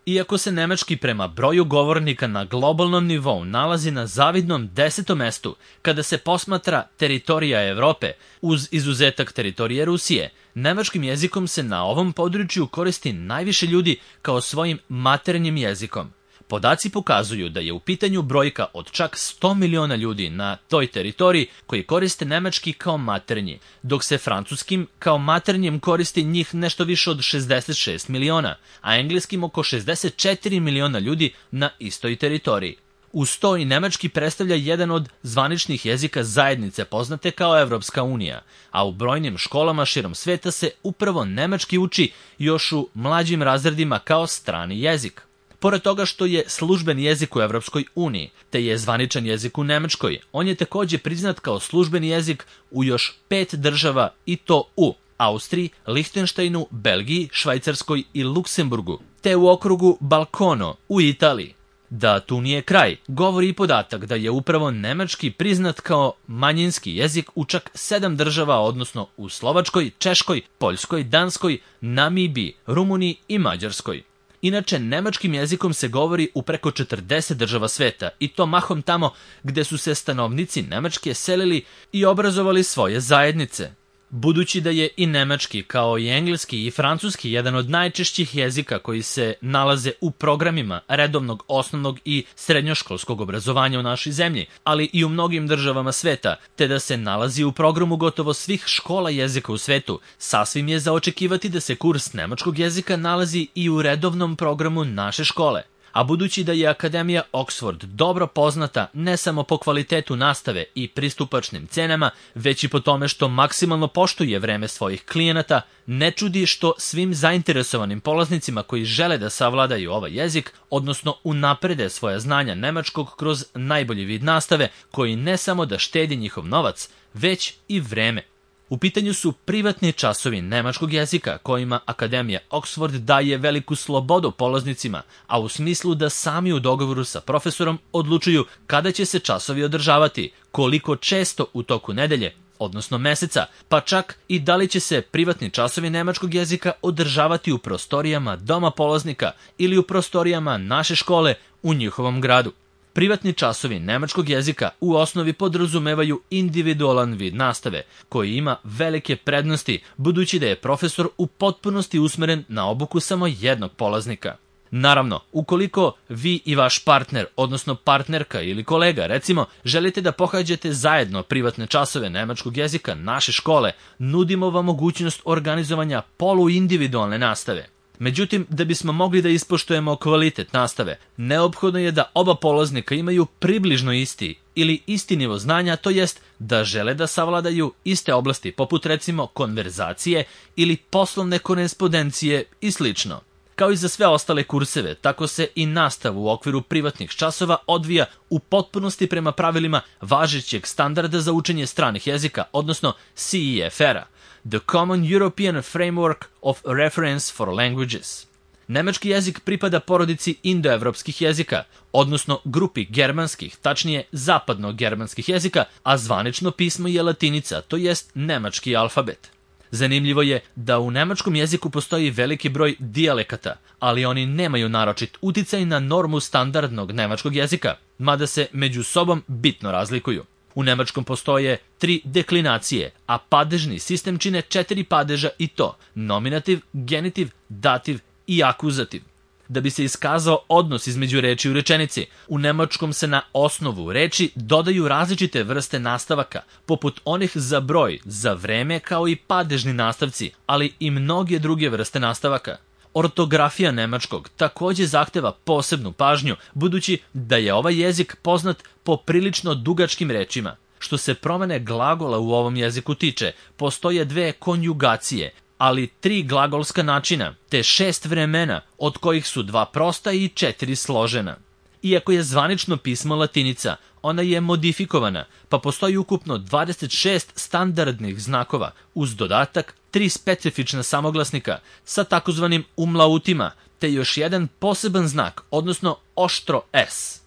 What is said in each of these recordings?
Iako se nemački prema broju govornika na globalnom nivou nalazi na zavidnom 10. mestu kada se posmatra teritorija Evrope, uz izuzetak teritorije Rusije, nemačkim jezikom se na ovom području koristi najviše ljudi kao svojim maternjim jezikom. Podaci pokazuju da je u pitanju brojka od čak 100 miliona ljudi na toj teritoriji koji koriste nemački kao maternji, dok se francuskim kao maternjem koristi njih nešto više od 66 miliona, a engleskim oko 64 miliona ljudi na istoj teritoriji. Uz to i nemački predstavlja jedan od zvaničnih jezika zajednice poznate kao Evropska unija, a u brojnim školama širom sveta se upravo nemački uči još u mlađim razredima kao strani jezik. Pored toga što je službeni jezik u Evropskoj uniji, te je zvaničan jezik u Nemačkoj, on je takođe priznat kao službeni jezik u još 5 država i to u Austriji, Lihtenštajnu, Belgiji, Švajcarskoj i Luksemburgu, te u okrugu Balkono u Italiji. Da tu nije kraj, govori i podatak da je upravo nemački priznat kao manjinski jezik u čak 7 država, odnosno u Slovačkoj, Češkoj, Poljskoj, Danskoj, Namibiji, Rumuniji i Mađarskoj. Inače, nemačkim jezikom se govori u preko 40 država sveta i to mahom tamo gde su se stanovnici Nemačke selili i obrazovali svoje zajednice. Budući da je i nemački, kao i engleski i francuski jedan od najčešćih jezika koji se nalaze u programima redovnog osnovnog i srednjoškolskog obrazovanja u našoj zemlji, ali i u mnogim državama sveta, te da se nalazi u programu gotovo svih škola jezika u svetu, sasvim je za očekivati da se kurs nemačkog jezika nalazi i u redovnom programu naše škole. A budući da je Akademija Oxford dobro poznata ne samo po kvalitetu nastave i pristupačnim cenama, već i po tome što maksimalno poštuje vreme svojih klijenata, ne čudi što svim zainteresovanim polaznicima koji žele da savladaju ovaj jezik, odnosno unaprede svoja znanja nemačkog kroz najbolji vid nastave, koji ne samo da štedi njihov novac, već i vreme. U pitanju su privatni časovi nemačkog jezika kojima Akademija Oxford daje veliku slobodu polaznicima, a u smislu da sami u dogovoru sa profesorom odlučuju kada će se časovi održavati, koliko često u toku nedelje, odnosno meseca, pa čak i da li će se privatni časovi nemačkog jezika održavati u prostorijama doma polaznika ili u prostorijama naše škole u njihovom gradu. Privatni časovi nemačkog jezika u osnovi podrazumevaju individualan vid nastave, koji ima velike prednosti, budući da je profesor u potpunosti usmeren na obuku samo jednog polaznika. Naravno, ukoliko vi i vaš partner, odnosno partnerka ili kolega, recimo, želite da pohađate zajedno privatne časove nemačkog jezika naše škole, nudimo vam mogućnost organizovanja poluindividualne nastave. Međutim, da bismo mogli da ispoštujemo kvalitet nastave, neophodno je da oba polaznika imaju približno isti ili isti nivo znanja, to jest da žele da savladaju iste oblasti, poput recimo konverzacije ili poslovne korespondencije i slično. Kao i za sve ostale kurseve, tako se i nastava u okviru privatnih časova odvija u potpunosti prema pravilima važećeg standarda za učenje stranih jezika, odnosno CEFR-a, The Common European Framework of Reference for Languages. Nemački jezik pripada porodici indoevropskih jezika, odnosno grupi germanskih, tačnije zapadno-germanskih jezika, a zvanično pismo je latinica, to jest nemački alfabet. Zanimljivo je da u nemačkom jeziku postoji veliki broj dijalekata, ali oni nemaju naročit uticaj na normu standardnog nemačkog jezika, mada se među sobom bitno razlikuju. U nemačkom postoje 3 deklinacije, a padežni sistem čine 4 padeža i to nominativ, genitiv, dativ i akuzativ. Da bi se iskazao odnos između reči u rečenici, u nemačkom se na osnovu reči dodaju različite vrste nastavaka, poput onih za broj, za vreme kao i padežni nastavci, ali i mnoge druge vrste nastavaka. Ortografija nemačkog takođe zahteva posebnu pažnju, budući da je ovaj jezik poznat po prilično dugačkim rečima. Što se promene glagola u ovom jeziku tiče, postoje 2 konjugacije, ali 3 glagolska načina, te 6 vremena, od kojih su 2 prosta i 4 složena. Iako je zvanično pismo latinica, ona je modifikovana, pa postoji ukupno 26 standardnih znakova, uz dodatak 3 specifična samoglasnika sa takozvanim umlautima, te još jedan poseban znak, odnosno oštro S.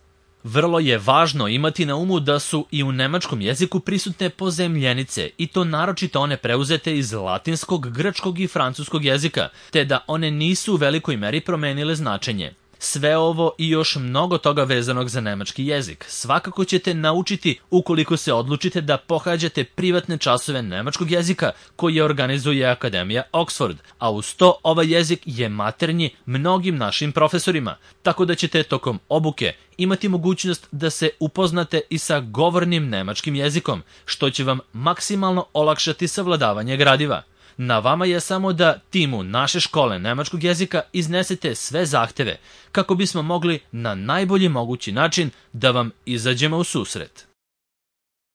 Vrlo je važno imati na umu da su i u nemačkom jeziku prisutne pozemljenice, i to naročito one preuzete iz latinskog, grčkog i francuskog jezika, te da one nisu u velikoj meri promenile značenje. Sve ovo i još mnogo toga vezanog za nemački jezik svakako ćete naučiti ukoliko se odlučite da pohađate privatne časove nemačkog jezika koje organizuje Akademija Oxford, a uz to ovaj jezik je maternji mnogim našim profesorima, tako da ćete tokom obuke imati mogućnost da se upoznate i sa govornim nemačkim jezikom, što će vam maksimalno olakšati savladavanje gradiva. Na vama je samo da timu naše škole nemačkog jezika iznesete sve zahteve kako bismo mogli na najbolji mogući način da vam izađemo u susret.